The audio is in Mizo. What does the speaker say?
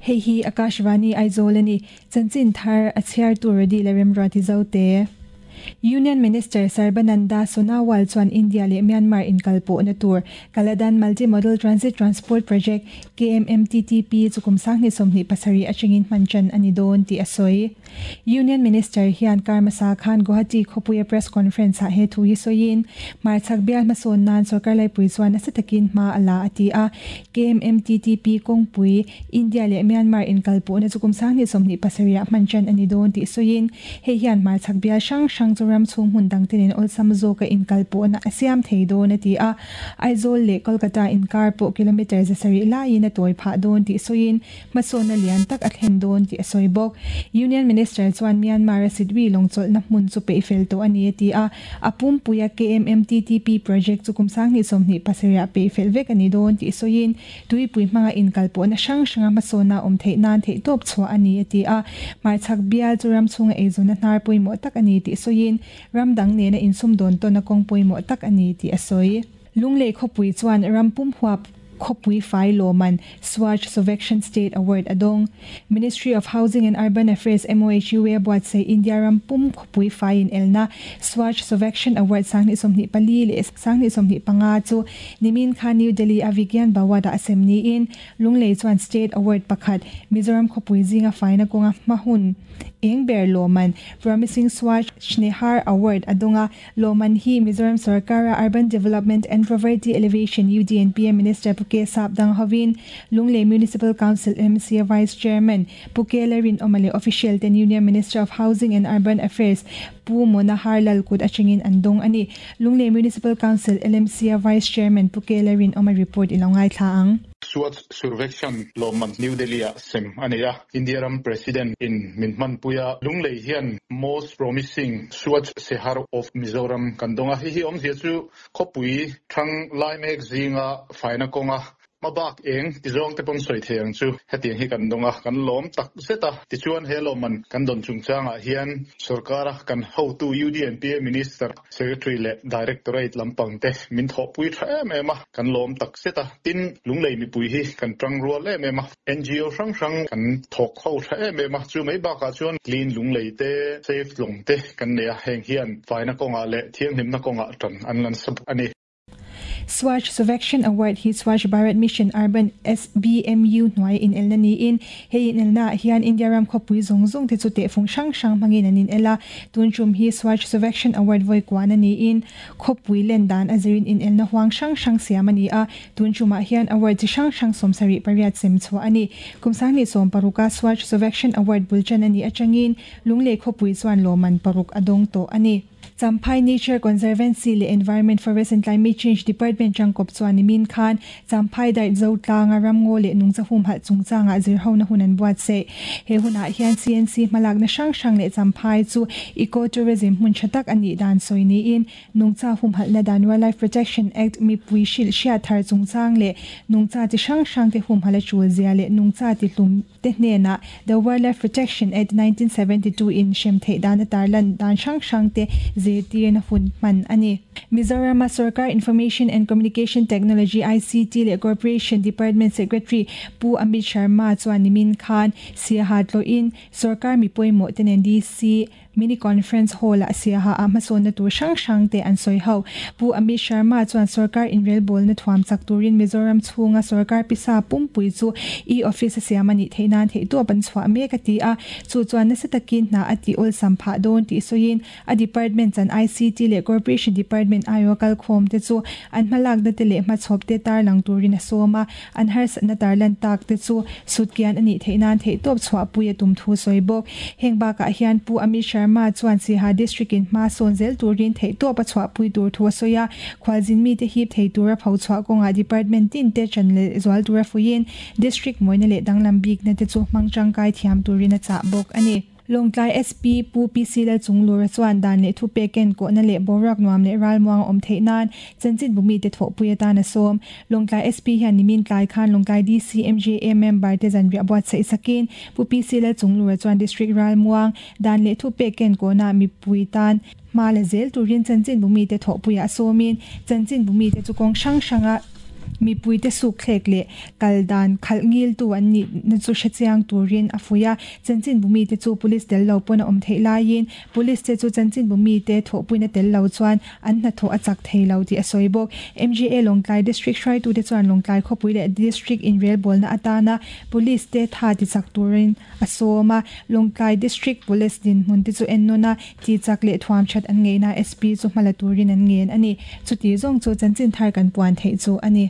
Hei hi Akashvani Aizawl a ni. Chanchin thar a chhiartu Rody leh Remruati Zote. Union Minister Sarbananda Sonowal chuan India leh Myanmar inkalpawhna tur Kaladan Multi-Modal Transit Transport Project, KMMTTP, chu kum 2027 atangin hman tan a ni dawn tih a sawi. Union Minister hian kar hmasa khan Guwahati khawpuia press conference ah he thu hi sawiin, hmarchhak bial hmasawn nan sorkar laipui chuan nasa takin hma a la a ti a. KMMTTP kawngpui, India leh Myanmar inkalpawhna chu kum 2027 ah hman tan a ni dawn tih sawiin, hei hian hmarchhak bial hrang hrang chu ram chhung hmun dangte nen awlsam zawka inkalpawhna a siam thei dawn a ti a. Aizawl leh Kolkata inkar pawh kilometre 700 laiin a tawi phah dawn tih sawiin, hmasawnna lian tak a thlen dawn tih a sawi bawk. Union Minister chuan Myanmar-a Sitwi lawngchawlhna hmun chu peih fel tawh a ni a ti a, a pumpuia KMMTTP project chu kum 2027 ah peih fel vek a ni dawn tih sawiin, tuipui hmanga inkalpawhna hrang hranga hmasawnna awm theih nan theihtawp chhuah a ni a ti a. Hmarchhak bial chu ram chhunga eizawnna hnar pawimawh tak a ni tih sawiin, ram dang nena insumdawn tawnna kawng pawimawh tak a ni tih a sawi. Lunglei khawpui chuan ram pum huap khawpui fai lawman Swachh Survekshan State Award a dawng. Ministry of Housing and Urban Affairs, MOHUA, buatsaih India ram pum khawpui fai inelna Swachh Survekshan Award 2024 leh 2025 chu nimin khan New Delhi a Vigyan Bhawan-ah a sem niin Lunglei chuan State Award pakhat Mizoram khawpui zinga faina kawnga hma hun eng ber lawman Promising Swachh Shnehar Award a dawng a. Lawman hi Mizoram sorkara Urban Development and Poverty Elevation, UDNPA, Minister Pu K Sap dang hovin Lunglei Municipal Council, MCA, Vice Chairman Pu K Lalrinawma leh official ten Union Minister of Housing and Urban Affairs Pu Manohar Lal kut atangin an dawng a ni. Lunglei Municipal Council, LMC-a Vice Chairman Pu K Lalrinawma report i lo ngaithla ang. Swachh Survekshan lawmman New Delhi-ah sem a nei a. India ram President in min hmanpui a, Lunglei hian Most Promising Swachh Shehar of Mizoram kan dawng a, hei hi awmzia chu khawpui thang lai mek zinga faina kawnga hmabak eng ti zawng te pawn sawi thei ang chu hetiang hi kan dawng a, kan lawm tak zet a. Tichuan he lawmman kan dawn chungchangah hian sorkara kan hotu UDNPA Minister, Secretary leh Directorate lampang te min thawhpui tha em em a, kan lawm tak zet a. Tin, Lunglei mipui hi kan tang rual em em a. NGO hrang hrang kan thawk ho tha em em a, chu mai bakah chuan Clean Lunglei te, Safe Tlawng te kan nei a, heng hian faina kawngah leh thianghlimna kawngah tan an lan sa bawk a ni. Swachh Survekshan Award hi Swachh Bharat Mission Urban, SBMU, hnuaia inelna niin, hei inelnaah hian India ram khawpui zawng zawng te chu tehfung hrang hrang hmangin an inel a, tun tum hi Swachh Survekshan Award vawi kuana niin, khawpui len dan a zirin inelna huang hrang hrang siam a ni a, Tun tumah hian award chi hrang hrang 78 sem chhuah a ni. Kum 2016 a Swachh Survekshan Award bul tan a nih atangin Lunglei khawpui chuan lawmman paruk a dawng tawh a ni. Champhai Nature Conservancy leh Environment, Forest and Climate Change Department tangkawp chuan nimin khan Champhai Dait Zotlanga ramngaw leh nungcha humhalh chungchangah zirhona hun an buatsaih. He hunah hian CNC hmalakna hrang hrang leh Champhai chu Eco-Tourism hmun tha tak a nih dan sawi niin Nungcha humhalhna dan Wildlife Protection Act mipui hrilh hriat thar chungchang leh nungcha chi hrang hrang te humhalh a tul zia leh nungcha ti hlum te hnenah The Wildlife Protection Act 1972 in hrem theih dan a tarlan dan hrang hrang te zirtirna hun hman a ni. Mizorama Sorkar Information and Communication Technology, ICT, leh Corporation Department Secretary Pu Amit Sharma chuan nimin khan Siaha tlawhin Sorkar mi pawimawh te nen DC Mini Conference Hall-ah Siaha ah hmasawnna tur hrang hrang te an sawi ho. Pu Amit Sharma chuan sorkar inrelbawlna thuam chak turin Mizoram chhunga sorkar pisa pumpui chu e-office a siam a nih theih nan theihtawp an chhuah mek a ti a, chu chuan nasa takin hna a tih awlsam phah dawn tih sawiin a department chan ICT leh Corporation Department aiawha kalkhawm te chu an hmalakna te leh hmachhawp te tarlang turin a sawm a, an harsatna tarlan tak te chu sutkian a nih theih nan theihtawp chhuahpui a tum thu sawi bawk. Heng bakah hian Pu Amit Sharma chuan Siaha District in hma sawn zel turin theihtawp a chhuahpui tur thu a sawi a, khualzin mite hip thei tura pho chhuah kawngah department tin te ṭan leh zual tura fuiin District mawina leh danglam bikna te chu hmang tangkai thiam turin a chah bawk a ni. Lawngtlai SP Pu PC Lalchunglura chuan dan leh thupek ken kawhna leh boruak nuam leh ralmuang a awm theih nan chanchin bumite thawhpui atan a sawm. Lawngtlai SP hian nimin tlai khan Lawngtlai DC MJA member te zanriah buatsaih sakin Pu PC Lalchunglura chuan District ralmuang dan leh thupek ken kawhna mipui tan hma la zel turin chanchin bumite thawhpuiah a sawmin chanchin bumite chu kawng hrang hranga. Mipuite sukthlek leh kal dan khalh ngiltu an nihna chu hrechiang turin a fuih a. Chanchinbu mite chu police tel lo pawn a awm theih laiin police te chu chanchinbu mite thawhpuina tel lo chuan an hnathawh a chak thei lo tih a sawi bawk. MGA Lawngtlai District hruaitute chuan Lawngtlai khawpui leh District inrelbawlna atana police te tha tichak turin a sawm a. Lawngtlai District Police dinhmun te chu ennawn a, tihchak leh thuam that an ngeihna SP chu hmala turin an ngen a ni. Chuti zawng chu chanchin thar kan puan theih chu a ni.